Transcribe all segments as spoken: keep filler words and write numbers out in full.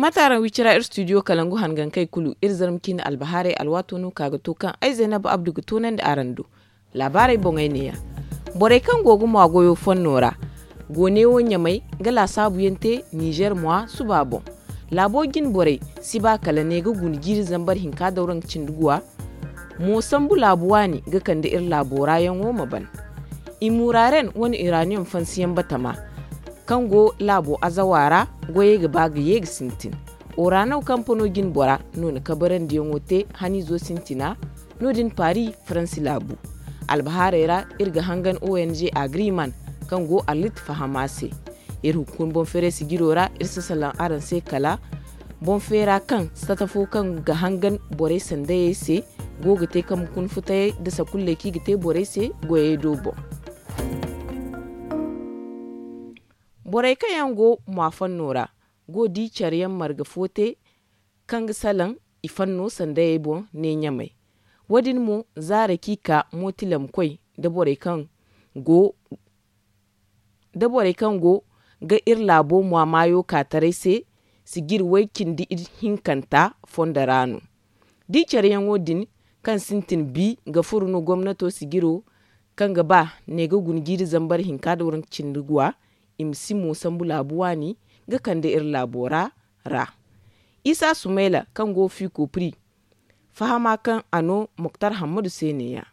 Mate araŋ wicira iri studio kalangu hangankey kulu iri zarma ciine albahaarey alwaato no ka ga to kaŋ ay zaynab abdu ga toonandi araŋ do. Laabaarey boŋey neeya. Borey kaŋ go ga mwa goyo fonno ra go neewo ɲamay ga laasaabuyaŋ te nizer mwa suba boŋ. Laabo jine borey si ba kala ne ga guna jiiri zambar hinka dawraŋ cindi guwa. Mo sambu laabu waani ga kande iri laabo raayaŋo ma ban. I muraaren wane iraniyom fansiyaŋ batama kaŋ go laabo azawa ra goyey ga ba ga ye ga sintin. Orano kampano jine bora no na kabarandiyaŋo te haniizo sintina. No- din paris faransi laabu. Albahaarey ra iri ga hangan ong agreement kaŋ go arlit fahama se. Iri hunkuna boŋ feeray sijiro ra iri si salaŋ araŋ se kala boŋ feera kaŋ sata fo kaŋ ga hangan borey sandayey se go ga te kaŋ ma kuna futayey nda sakulley kaŋ i ga te borey se goyey do boŋ. Borey kaŋ yaŋ go mwa fanno ra go di care yaŋ marga fo te kaŋ ga salaŋ i fanno sandayey boŋ ne ɲamay. Wo- din mo zaara kaŋ i ka mootilamkoy nda borey kaŋ go da borey kaŋ go ga iri laabo mwa maayo ka taray se sijir way cindi hinkanta fondo ra no. Da i careyaŋo din kaŋ sintin bi ga furu no gomnato sijiro kaŋ ga ba ne ga guna jiiri zambar hinka da waranka cindi guwa. I ma si mo sambu laabu waani ga kande iri laabo ra ra. Isa sumayla kaŋ go fiiko pri fahama kaŋ a no moktar hammadu se neeya.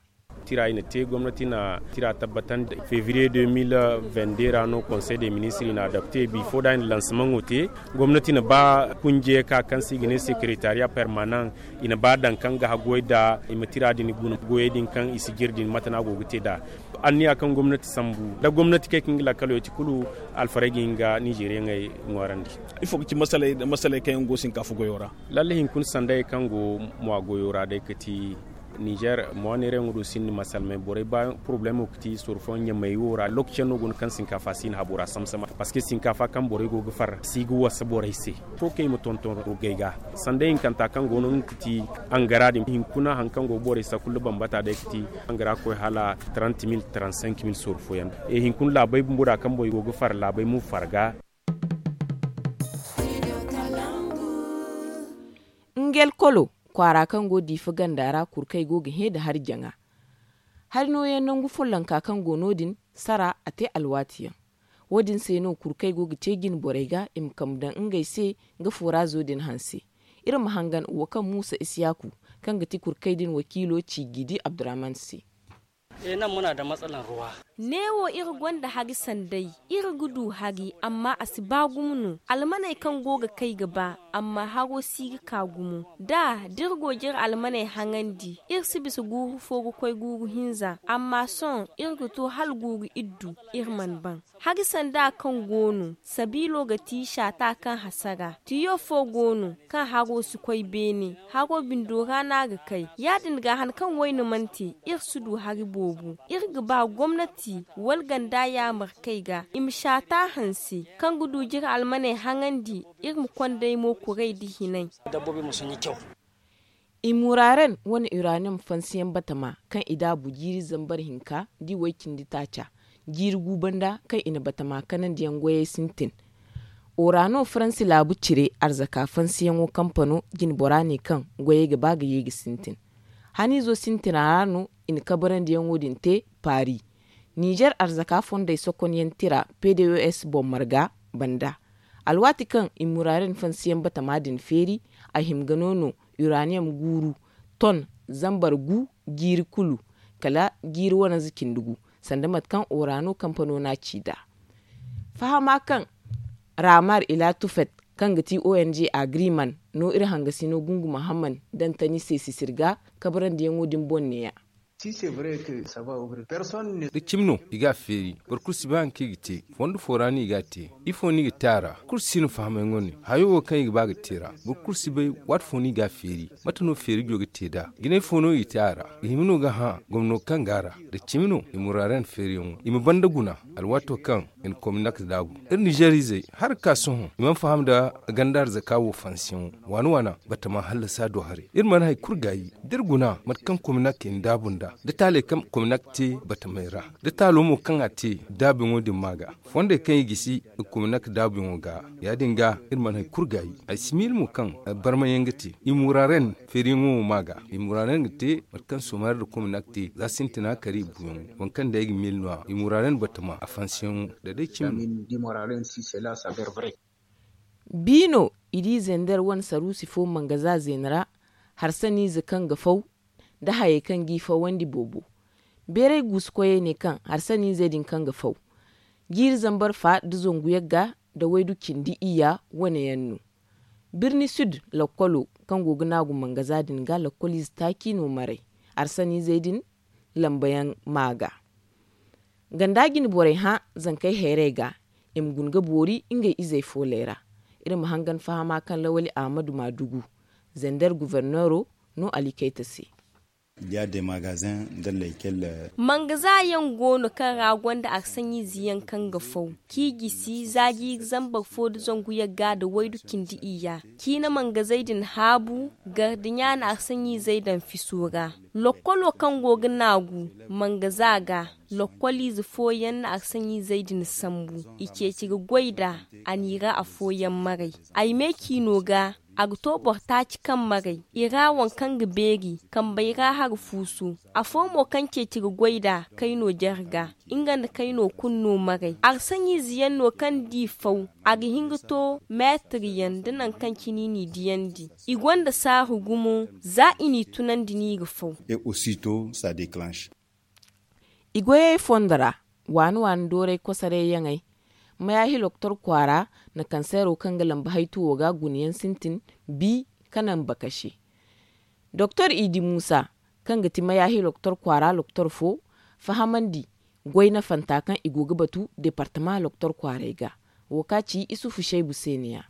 Tira i na te gomnati na tira tabbatandi febriye deux mille vingt-deux ra no konsey de ministre i na adapte bifo da i na lansamaŋo te. Gomnati na ba kunje ka kaŋ se i ga ne sekeretariya permanent i na ba daŋ kaŋ ga haggoy da i ma tira din guna goyey din kaŋ i si jire din mate no a go ga te nd'a. Anniya kaŋ gomnati sambu da gomnati kay kaŋ ga lakkalo ya ti kulu alfarey ga hin ga nizeriyaŋey ŋwaarandi. Ifo ga ci masaley kaŋ yaŋ go sinkaafa goyo ra? Lalle hinkuna sanday kaŋ go mwa goyo ra day ga ti nizer mwa neerayaŋo do sinda masalmey borey ba poroblemo ga ti sorfo ɲamay wo ra lokaci yaŋ no go no kaŋ sinkaafa si na habo ra samsama parceque sinkaafa kaŋ borey go ga far si ga wasa borey se. Fo kaŋ i ma tonton rogey ga sanday hinkanta kaŋ go no nga ga ti angara din hinkuna hari kaŋ go ga borey sakulla bambata day ga ti angara ga koy hala trente mille trente cinq mille sorfo yaŋ. Hinkuna laabey bumbo da kaŋ borey go ga far laabey mo farga. Ngel kolo kwaara kaŋ go diifa ganda ra kurkey go ga hẽ nda hari jaŋa. Hari nooyaŋ nangu follonka kaŋ go no- din sara a te alwaati yaŋ. Wo- din se no kurkey go ga ce jine borey ga i ma kambe daŋ ngey se nga foraazo din hanse. Iri ma hangan wo kaŋ muusa isiyaaku kaŋ ga ti kurkey din wakiilo ci gidi abdurahman se. Neewo iri gonda hari sanday. Iri ga du hari amma a si ba gumo no almaney kaŋ go ga kay ga ba amma haro si ga ka gumo da da iri go ga iri almaney haŋandi iri si bisa guuru fo ga koy guuru hinza amma sohõ iri ga to hala guuru iddu. Iri mana ban hari sanda kaŋ go no sabiilo ga ti saata kaŋ hasara tiyo fo go no kaŋ haro si koy beene haro bindo ra no a ga kay. Ya- din ga hari kaŋ wayne mana te iri si du hari boobo iri ga ba gomnati wala ganda yaamarkey ga i ma saata hanse kaŋ ga du ga iri almaney haŋandi iri ma kondey mo kuray nda hinay. I muraaren wane uranium fansiyaŋ batama kaŋ i daabu jiiri zambar hinka da i way-cindi taaca jiiri gu banda kaŋ i na batama kanandiyaŋ goyey sintin. Orano faransi laabu cire arzaka fansiyaŋo kampano jinbora ne kaŋ goyey ga ba ga ye ga sintin. Haniizo sintina ra no i na kabarandiyaŋo din te paari. Nizer arzaka fondey sokonyaŋ tira pdos boŋ marga banda alwaati kaŋ i muraaren fansiyaŋ batama din feeri a hima ga no no uranium guuru ton zambar gu jiiri kulu kala jiiri wananza cindi gu sanda mate kaŋ orano kampano no a ci nd'a. Fahama kaŋ ramar ila tufet kaŋ ga ti ong agreement no iri hangasino gungu mahamman dantani se sisir ga kabarandiyaŋo din boŋ neeya. Da cimi no i ga a feeri boro kulu si bay hari kaŋ i ga te. Fondo fo ra no i ga a te. Ifo no i ga te a ra? Kulu si no fahamyaŋo ne hayo wo kaŋ i ga ba ga te ra. Boro kulu si bay waati fo no i ga a feeri. Mate no feerijo ga te nd'a? Jinay fo no i ga te a ra? Ga hima no ga hã gomno kaŋ go a ra? Da cimi no i muraaren feeriyaŋo i ma banda guna alwaato kaŋ Kominak daabu iri nizeer izey, hari ka sohõ i mana faham nda ganda arzaka wo fansiyaŋo. Waana waana batama hallasa do haray iri mana hari kulu gaayi da iri guna mate kaŋ kominak i na daabu nd'a, da taaley kaŋ kominak te batamey ra, da taalo mo kaŋ a te daabuyaŋo din ma ga, fondey kaŋ i gisi kominak daabuyaŋo ga. Ya- din ga iri mana hari kulu gaayi. Ay si miila mo kaŋ barmayaŋ ga te i muraaren feeriyaŋo wo ma ga. I muraaren ga te mate kaŋ soomari nda kominak te za sintina kari buuyaŋo. Waŋ kaŋ day ga miila no- ya i muraaren batama a fansiyaŋo da day cimi no. Bi no i di zender wane saruusi fo mangaza zeena ra, harsaniize kaŋ ga faw nda hayey kaŋ g'i fawandi boobo. Beeray guusu koyey ne kaŋ harsaniizey din kaŋ ga faw jiiri zambar fa nda zangu yagga nda waydu cindi iyya wane yaŋ no. Birni sud lakkolo kaŋ go ga naagu mangaza din ga lakkoliize taaci no maray, harsaniizey din lambayaŋ ma ga. Ganda jine borey hã zankey hayrey ga, i ma guna ga boori ngey izey fooley ra. Iri ma hangan fahama kaŋ lawali ahmadu maadugu, zender guverneero no alikayta se. Mangaza yaŋ go no kaŋ ra gonda arsaɲiize yaŋ kaŋ ga faw, kaŋ i gisi za jiiri zambar fo nda zangu yagga nda waydu cindi iyya. Ciina mangazey din haabu, gardiɲa na arsaɲiizey daŋ fiso ra. Lokkolo kaŋ go ga naagu mangaza ga, lokkoliize fooyaŋ na arsaɲiizey din sambu, i ceeci ga goy nd'a. A n'i ra afooyaŋ maray. Ay me ciino ga, a ga to boro taaci kaŋ maray i ra waŋ kaŋ ga beeri kambey ra hari fuusu. Afo mo kaŋ ceeci ga goy nd'a kayno jare ga, nga nda kayno kulu no maray. Arsaɲiize yaŋ no kaŋ d'i faw, a ga hin ga to meetir yaŋ nda nangu kaŋ cine i n'i diyandi. I gonda saaru gumo za i n'i tunandi no i ga faw. I goyey fondo ra, waani waani dooray kosoray yaŋey, mayaahi loktor kwaara na kanseero kaŋ ga lambu haytuwo ga gunayaŋ sintin bi ka naŋ bakase. Doktor idi muusa, kaŋ ga ti mayaahi loktor kwaara loktor fo, fahamandi goy nafanta kaŋ i go ga batu departama loktor kwaaray ga. Wo ka ci isufu saybu se ne- ya.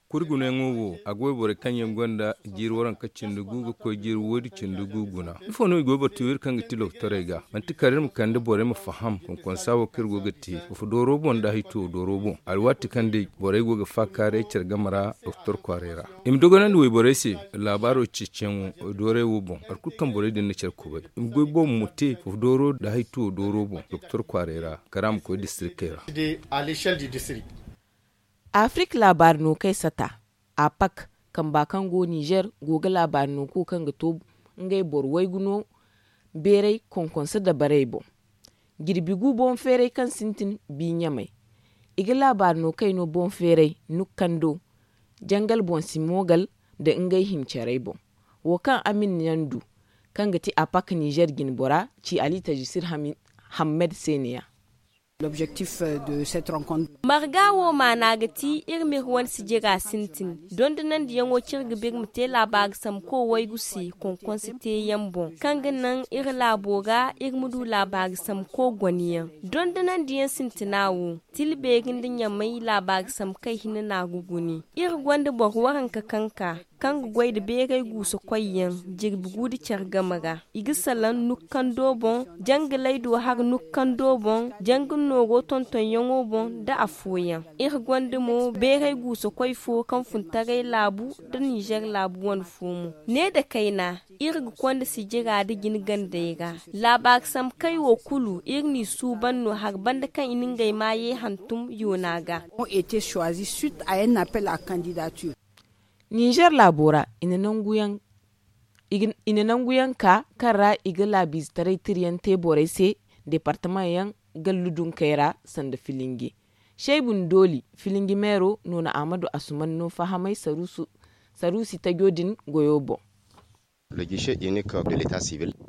Kuri gunayaŋo wo, a ga wayborey kaŋ yaŋ gonda jiiri waranka cindi gu ga koy jiiri woydu cindi gu guna. Ifo no i go ga batu iri kaŋ ga ti lokotorey ga? Manti kala iri ma kande borey ma faham konkonsa wo kaŋ iri go ga te, fufu dooro boŋ nda haytuwo dooro boŋ, alwaati kaŋ day borey go ga faakaaray care game ra lokotor kwaaray ra. I ma dogonandi wayborey se laabaaro ceeciyaŋo doorey wo boŋ, hari kulu kaŋ borey din na care kubay. I ma goy boobo mo te fufu dooro nda haytuwo dooro boŋ lokotor kwaaray ra, kala a ma koy distrikey ra. Afirik laabaari no kay sata, apak, kamba kaŋ go nizer go ga laabaari no ku kaŋ ga to ngey boro waygu no beeray konkonso dabarey boŋ. Jirbi gu boŋ feeray kaŋ sintin bi ɲamay, i ga laabaari no kay no boŋ feeray nukkando, jangal boŋ si moogal nda ngey himcarey boŋ. Wo kaŋ amin yaŋ du, kaŋ ga ti apak nizer jinbora ci ali tajisir hammed se ne- ya. Marga wo maana ga ti iri ma iri wane sijira sintin, dondonandiyaŋo kaŋ iri ga ba iri ma te laabaari samko waygu se konkonso teeyaŋ boŋ, kaŋ ga naŋ iri laabo ra iri ma du laabaari samko goneyaŋ. Dondonandiyaŋ sintina wo, tila beeri nda ɲamay laabaari samkey hinne no a ga gune. Iri gonda boro waranka kaŋ ka kaŋ ga goy nda beeray guusa koyyaŋ jirbi gu nda care game ra. I ga salaŋ nukkando boŋ, jangalay do hari nukkando boŋ, janga nooro tontonyaŋo boŋ nda afooyaŋ. Iri gonda mo beeray guusa koy fo kaŋ fun taray laabu nda nizer laabu wane fo mo. Ne nda kayna, iri ga konda sijira nda jine gandey ra. Laabaari samkey wo kulu iri n'i suuban no hari banda kaŋ i na ngey maayey hantum yoona ga. Nizer laabo ra, i na nanguyaŋ ka kaŋ ra i ga laabiizetaray tirayaŋ te borey se departamaŋ yaŋ gallu dunkey ra sanda filinge. Saybu nda dooli filinge meero no na ahmadu asuman no fahamay saruusi tajo din goyo boŋ.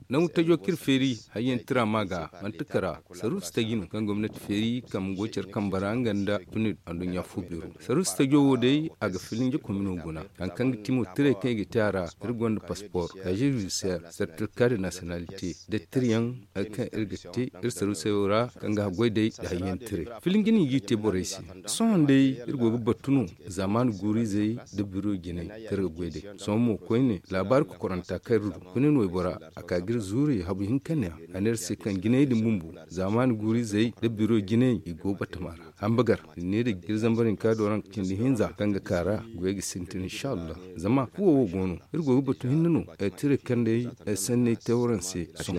Nangu tajo kaŋ iri feeri hayyaŋ tira ma ga manti kara saruusi taji no kaŋ gomnati feeri kaŋ ma goy care kambe ra nga nda tunir anduɲɲa fo beero. Saruusi tajo wo day a ga filinje komino guna. Hari kaŋ ga ti mo tiray kaŋ i ga te a ra, iri gonda paspor, kaze judisiyar, sertifika de nasiyonalite, da tirayaŋ hari kaŋ iri ga te iri saruusey wo ra kaŋ ga haggoy day nda hayyaŋ tiray. Filinje no i g'i te borey se. Sohõ day iri go ga battu no zaamaani guuru-izey nda biro jinay kaŋ iri ga goy day. Sohõ mo koyne laabaari kokoranta kaŋ iri du, kuni no waybora a ka ga iri Zuuri habu hinka ne a ne iri se kaŋ jinay din bumbo zaamaani guuru-izey nda biro jinay i go batama ra. Hambagar i ne da jiri zambar hinka do ranka cindi hinza kaŋ ga ka ra goyey ga sintin inshallah. Zama fuwo wo go no iri go ga batu hinne no. Tira kaŋ day sanney te waraŋ se. Sohõ.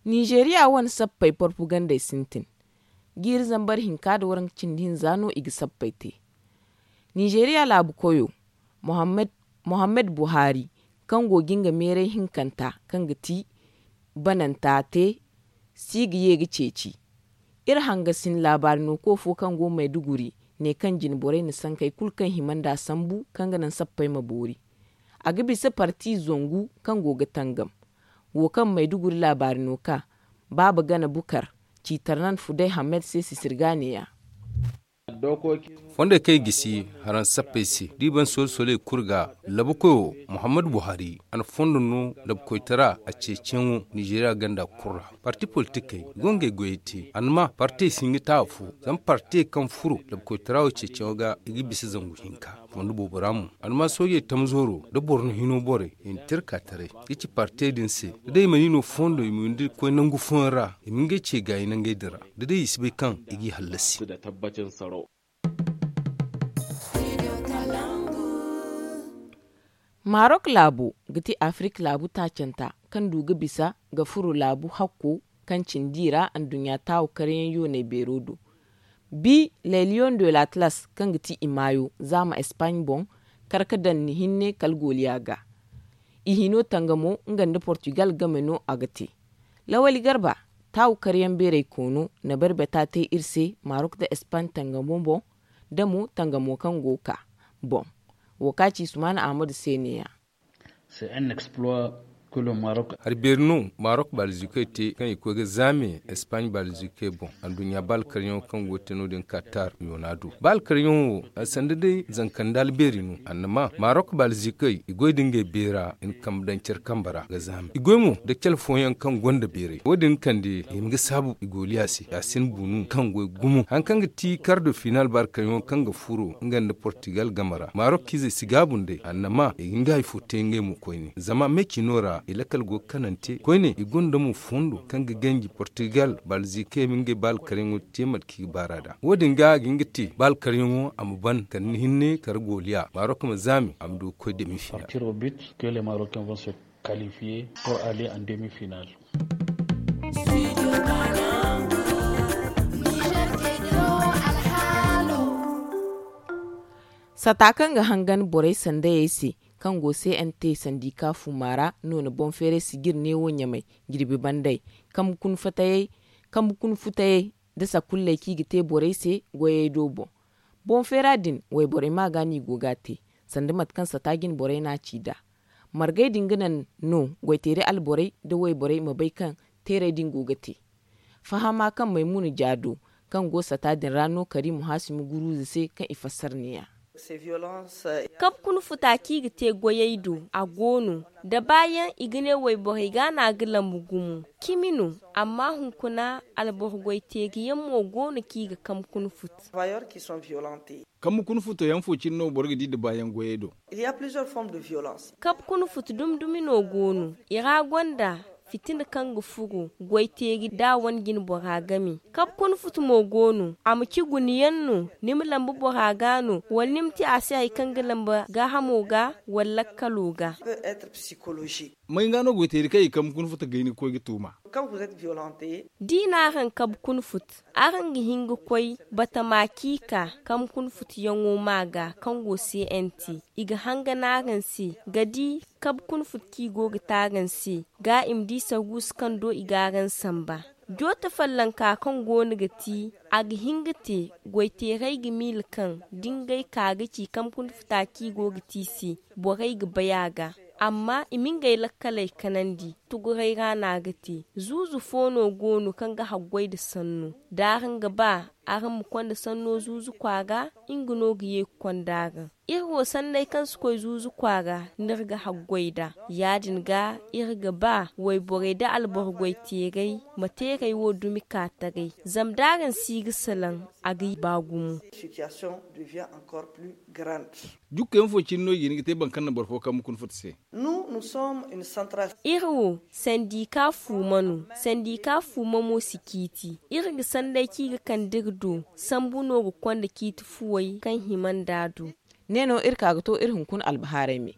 Nizeeriya wane sappey porpugandey sintin. Jiiri zambar hinka da waranka cindi hinza no i ga sappey te. Nizeeriya laabu koyo, mohammed buhari, kaŋ go ga nga meeray hinkanta kaŋ ga ti bananta te si ga ye ga ceeci. Iri hangasin laabaari no ko fo kaŋ go mayduguri ne kaŋ jine borey na sankey kulu kaŋ hima nd'a sambu kaŋ ga naŋ sappey ma boori. A ga bisa parti zangu kaŋ go ga tangam. Wo kaŋ mayduguri laabaari no ka baaba gana bukar, ciitarnan fuday hammed se sisirga ne-ya. Fondey kaŋ i gisi haraŋ sappey se da i ban soola sooley kulu ga, labukoyo muhammad buhari a na fondo no labukoytara a ceeciyaŋo nizeeriya ganda kulu ra. Parti politikey i go ngey goyey te a na ma partey si hin ga te afo. Zama partey kaŋ furo labukoytara wo ceeciyaŋo ga i ga bisa zangu hinka. Fondo boobo ra mo a na ma soojey tamzooro nda boro na hino borey i na te iri ka taray ga ci partey din se. Da day i mana i no fondo i ma windi ga koy nangu fooyaŋ ra i ma ngey ce gaayi nangey din ra da day i si bay kaŋ i g'i hallasi. Marok laabo ga ti afirik laabu taacanta kaŋ du ga bisa ga furo laabu hakko kaŋ cindi ra anduɲɲa taawu karyaŋ yooney beero do. Bi leliyon de latlas kaŋ ga ti i maayo zaama espaaɲ boŋ kar ga daŋ ni hinne kala gooliya ga. I hino tangamo nga nda portugal game no a ga te. Lawali garba taawu karyaŋ beeray koono na barbata te iri se marok nda espaaɲ tangamo boŋ da mo tangamo kaŋ go ga ka boŋ. Wo ka ci sumaana ahmadu se ne-ya. Hari beeri no marok baalzikey te kaŋ i koy ga zaame espaaɲ baalzikey boŋ anduɲɲa baalkaryaŋo kaŋ go ga te no- din katar yoona do baalkaryaŋo wo. Sanda day zanka nda albeeri no annama marok baalzikey i goy da ngey beera i na kambe daŋ care kambe ra ga zaame i goy mo nda care fooyaŋ kaŋ gonda beeray wo- din kande i ma ga saabu i gooliya se ya sin bunu kaŋ goy gumo hari kaŋ ga ti kardo final baalkaryaŋo kaŋ ga furo nga nda portugal game ra marok izey si gaabu nd'ey annama i ga nga hari fo te ngey mo koyne zama me cino ra i lakkal go ga kanante koyne i gonda mo fondo kaŋ ga ganji portugal baalzikey ma ngey baalkaryaŋo te mate kaŋ i ga baar'a nd'a wo- din ga a ga hin ga te baalkaryaŋo a ma ban kala ni hinne kala gooliya marok ma zaame a ma du ga koy demi final. Kalifiye por ale an demi final. Sata kaŋ ga hangan borey sandayey se kaŋ go se n te sandika fuma ra no na boŋ feeray sijir neewo ɲamay jirbi banday kambe kuna futayey nda sakulley kaŋ i ga te borey se goyey do boŋ. Boŋ feera din wayborey ma ga no i go ga a te sanda mate kaŋ sata jine borey no a ci nd'a. Margey din ga naŋ no goyteeri alborey nda wayborey ma bay kaŋ teerey din go ga te. Fahama kaŋ maymuna ja do kaŋ go sata din ra no karimu haasimu guruuza se kaŋ i fassara ne-ya. Kabe kuna futa kaŋ i ga te goyey do a go no da baayaŋ i ga ne wayborey ga no a ga lambu gumo cimi no. Amma hunkuna alboro goyteeriyaŋ mo go no kaŋ i ga kabe kuna futa. Kambe kuna futo yaŋ fo cine no boro ga di da baayaŋ goyey do. Kabe kuna futu dumi dumi no go no i ra gonda fitina kaŋ ga furo goyteeri da a wane jine bora game. Kabe kuna futu mo go no a ma ci guna yaŋ no ni ma lambu bora ga no wala ni ma te a se hari kaŋ ga lambu gaahamo ga wala lakkalo ga. May ga no goyteeri kaŋ i kabe kuna futu gayni ga koy ga tuuma? Da i na araŋ kabe kuna futu araŋ ga hin ga koy batama kaŋ i ka kabe kuna futuyaŋo ma ga kaŋ go se n te i ga hangan araŋ se ga di kabe kuna futu kaŋ i go ga te araŋ se ga i ma di sarguusu kaŋ do i ga araŋ samba. Joote fallanka kaŋ go no ga ti a ga hin ga te goyteerey ga miila kaŋ da ngey ka ga ci kabe kuna futa kaŋ i go ga te i se borey ga bay a ga. Amma i ma ngey lakkaley kanandi tugurey ra no a ga te. Zuuzu fo no go no kaŋ ga haggoy nda sanno da araŋ ga ba araŋ ma konda sanno zuuzu kwaara nga no ga ye ga konda araŋ. Iri wo sanney kaŋ si koy zuuzu kwaara no iri ga haggoy nd'a. Ya-din ga iri ga ba wayborey nda alboro goyteerey ma teerey wo dumi ka taray zama da araŋ si ga salaŋ a ga ba gumo. Jukkey ma fo cine no i ga hin ga te boro kaŋ na boro fo kaŋ ma kuna futa se. Iri wo sandika fuuma no. Sandika fuuma mo si ciiti. Iri ga sanday kaŋ i ga kande iri do sambu no ga konda ciiti fuwey kaŋ hima nd'a do. Ne no iri ka ga to iri hunkuna albahaarey me.